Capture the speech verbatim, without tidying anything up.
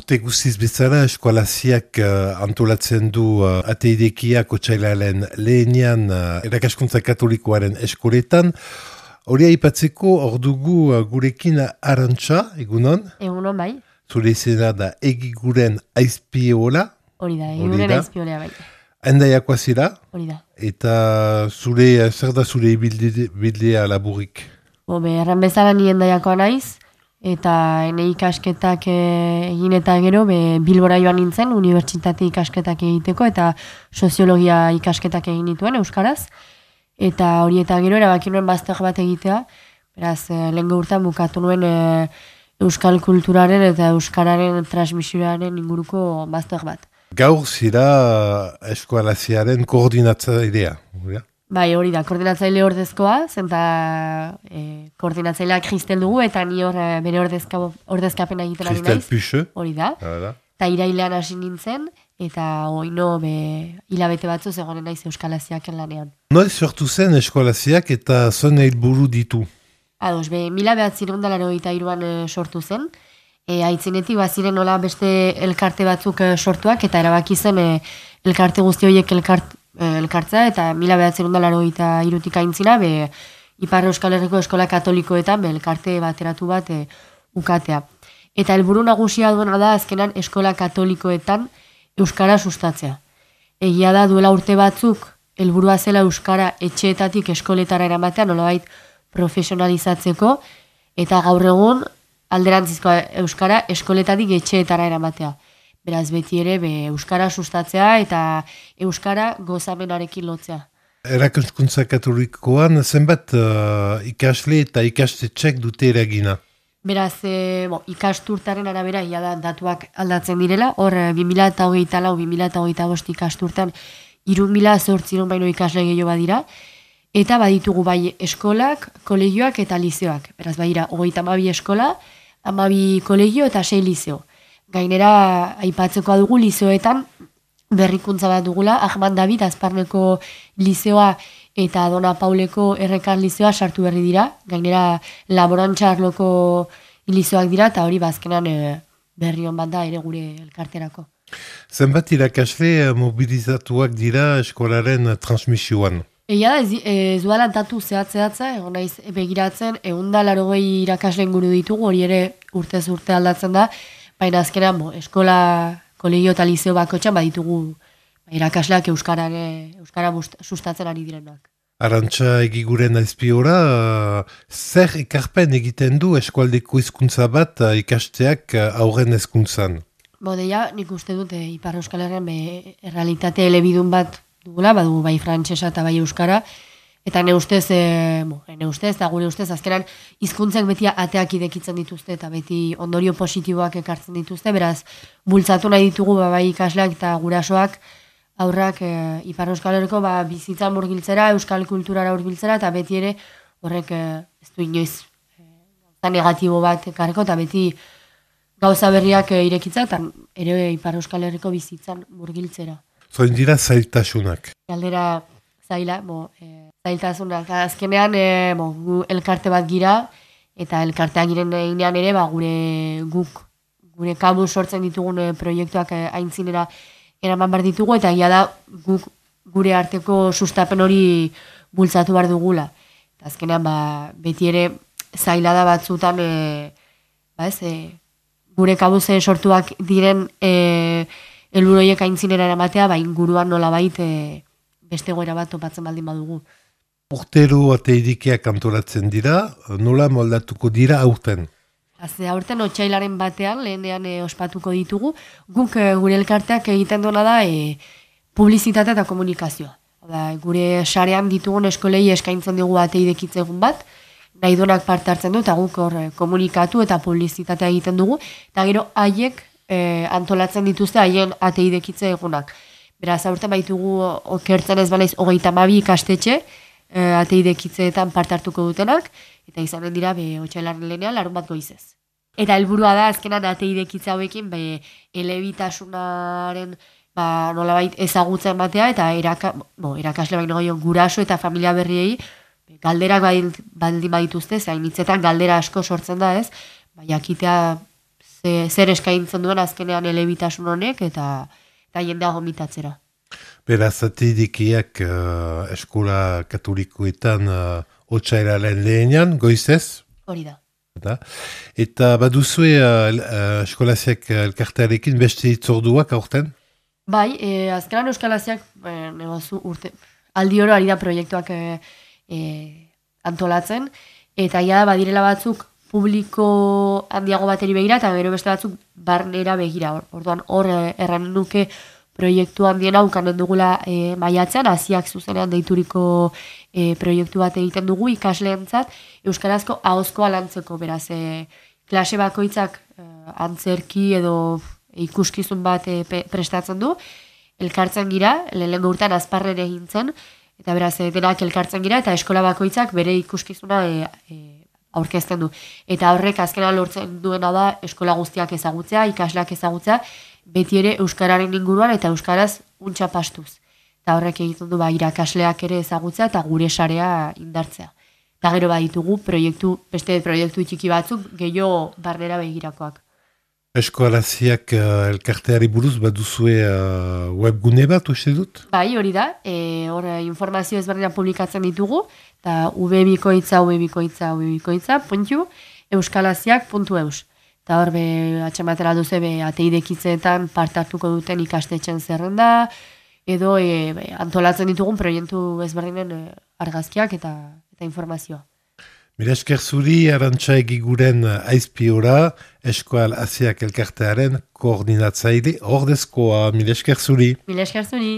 urte guziz bezala eskualaziak uh, antolatzen du uh, ateidekiak otsailaren lehenian uh, erakaskuntza katolikoaren eskoletan. Hori aipatzeko hor dugu uh, gurekin Arantxa, egunon? Egunon bai. Zure izena da egiguren aizpiola. Hori da, egiguren aizpiola bai. Endaiakoa zira? Hori da. Eta zure, zer da zure bildea laburik? Bo, be, erran bezala ni endaiakoa naiz. Eta ene ikasketak egin eta gero be, Bilbora joan nintzen, unibertsitate ikasketak egiteko eta soziologia ikasketak egin dituen euskaraz. Eta hori eta gero erabaki nuen master bat egitea, beraz lehen urtean bukatu nuen e, euskal kulturaren eta euskararen transmisioaren inguruko master bat. Gaur zira eskualaziaren koordinatzailea, ja? Bai, hori da, koordinatzaile ordezkoa, zenta e, koordinatzaileak Kristel dugu, eta ni hor e, bere ordezka, ordezkapena egiten ari naiz. Kristel Puxe. Hori da. Eta irailean hasi nintzen, eta oino be, hilabete batzu zegoen naiz euskalaziaken lanean. Noiz sortu zen eskualaziak eta zuen helburu ditu? Ados, be, mila behatzirun dalaro eta iruan e, sortu zen. E, aitzinetik baziren nola beste elkarte batzuk e, sortuak, eta erabaki zen e, elkarte guzti horiek elkart, elkartza, eta mila behatzerun dalaro eta irutik aintzina, be, Ipar Euskal Herriko Eskola Katolikoetan, be, elkarte bateratu bat e, ukatea. Eta helburu nagusia duena da, azkenan Eskola Katolikoetan Euskara sustatzea. Egia da, duela urte batzuk, helburua zela Euskara etxeetatik eskoletara eramatea, nolabait profesionalizatzeko, eta gaur egun alderantzizko Euskara eskoletatik etxeetara eramatea. Beraz, beti ere, be, Euskara sustatzea eta Euskara gozamenarekin lotzea. Erakaskuntza katolikoan zenbat uh, ikasle eta ikastetxek dute eragina? Beraz, e, bo, ikasturtaren arabera, ia da, datuak aldatzen direla, hor, bi mila hogeita lau, bi mila hogeita bost ikasturtan, hiru mila zortziehun baino ikasle gehiago badira, eta baditugu bai eskolak, kolegioak eta lizeoak. Beraz, badira, hogeita hamabi eskola, hamabi kolegio eta sei lizeo. Gainera, aipatzeko dugu lizeoetan berrikuntza bat dugula, Ahmad David Azparneko lizeoa eta Dona Pauleko Errekar lizeoa sartu berri dira. Gainera, laborantza arloko lizeoak dira, eta hori bazkenan e, berri hon bat da ere gure elkarterako. Zenbat irakasle mobilizatuak dira eskolaren transmisioan? Egia da, ez, ez duela datu zehatz-zehatza, egon naiz begiratzen, egun da larogei irakasle inguru ditugu, hori ere urtez urte aldatzen da, baina azkenean, bo, eskola, kolegio eta lizeo bakotxan baditugu ba, irakasleak euskarare, euskara bust, sustatzen ari direnak. Arantxa egiguren aizpiora, uh, zer ekarpen egiten du eskualdeko hizkuntza bat uh, ikasteak uh, aurren hezkuntzan? Bodeia, nik uste dut, e, Ipar Euskal Herrian be, errealitate elebidun bat dugula, badugu bai frantsesa eta bai euskara, eta ne ustez, e, bo, ne ustez, eta gure ustez, azkenan hizkuntzak beti ateak idekitzen dituzte, eta beti ondorio positiboak ekartzen dituzte, beraz, bultzatu nahi ditugu ba, bai ikasleak eta gurasoak aurrak e, Ipar Euskal Herriko ba, bizitzan murgiltzera, euskal kulturara hurbiltzera, eta beti ere horrek e, ez du inoiz e, negatibo bat ekarreko, eta beti gauza berriak e, irekitza, eta ere Ipar Euskal Herriko bizitzan murgiltzera. Zoin dira zailtasunak? Galdera zaila, bo, e, zailtasunak. Azkenean, e, bo, gu elkarte bat gira, eta elkartean giren einean ere, ba, gure guk, gure kabu sortzen ditugun e, proiektuak e, aintzinera eraman behar ditugu, eta egia da guk gure arteko sustapen hori bultzatu behar dugula. Eta azkenean, ba, beti ere zaila da batzutan, e, ba ez, e, gure kabuze sortuak diren e, helburuiek aintzinera eramatea, ba, inguruan nola bait e, beste goera bat topatzen baldin badugu. Urtero ateidikeak antolatzen dira, nola moldatuko dira aurten? Azte, aurten otsailaren batean, lehenean e, ospatuko ditugu, guk e, gure elkarteak egiten duena da e, publizitate eta komunikazioa. Da, gure sarean ditugun eskolei eskaintzen dugu ateidekitze egun bat, nahi duenak parte hartzen du, eta guk hor e, komunikatu eta publizitatea egiten dugu, eta gero haiek e, antolatzen dituzte haien ateidekitze egunak. Beraz, aurten baitugu okertzen ez banaiz hogeita hamabi ikastetxe, e, ateidekitzeetan parte hartuko dutenak, eta izanen dira, be, otsailaren lehenean, larun bat goizez. Eta helburua da, azkenan ateidekitza hauekin, be, elebitasunaren ba, nolabait ezagutzen batea, eta eraka, bo, erakasle baino gehiago guraso eta familia berriei, galderak baldin badituzte, zain hitzetan galdera asko sortzen da ez, ba, jakitea ze, zer eskaintzen duen azkenean elebitasun honek eta, eta jendea gomitatzera. Beraz, ateidekiak uh, eskola katolikoetan uh, otsailaren lehenean, goizez? Hori da. Eta, eta baduzue uh, uh, eskolaziak elkartearekin beste itzorduak aurten? Bai, e, azkenan euskalaziak e, negozu urte, aldi oro ari da proiektuak e, e, antolatzen, eta ja badirela batzuk publiko handiago bateri begira, eta gero beste batzuk barnera begira. Orduan hor e, erran nuke proiektu handiena ukanen dugula e, maiatzean, hasiak zuzenean deituriko e, proiektu bat egiten dugu ikasleentzat, euskarazko ahozkoa lantzeko, beraz, e, klase bakoitzak e, antzerki edo ikuskizun bat e, prestatzen du, elkartzen gira, lehenengo urtean azparren egin zen, eta beraz, e, denak elkartzen gira, eta eskola bakoitzak bere ikuskizuna e, e, aurkezten du. Eta horrek azkena lortzen duena da eskola guztiak ezagutzea, ikasleak ezagutzea, beti ere euskararen inguruan eta euskaraz untxa pastuz. Eta horrek egiten du ba, irakasleak ere ezagutzea eta gure sarea indartzea. Eta gero baditugu proiektu, beste proiektu txiki batzuk gehiago barnera begirakoak. Eskolaziak uh, elkarteari buruz baduzue uh, webgune bat, uste dut? Bai, hori da. E, hor informazio ezberdinak publikatzen ditugu, eta ubebikoitza, ubebikoitza, ubebikoitza, puntu, euskalaziak puntu eus. Eta hor, be, atxamatera duze, be, ateidekitzeetan parte hartuko duten ikastetxen zerrenda, edo e, be, antolatzen ditugun proiektu ezberdinen e, argazkiak eta, eta informazioa. Mila esker zuri, Arantxa Egiguren aizpiora, Eskual Asiak elkartearen koordinatzaile ordezkoa. Mila esker zuri. Mila esker zuri.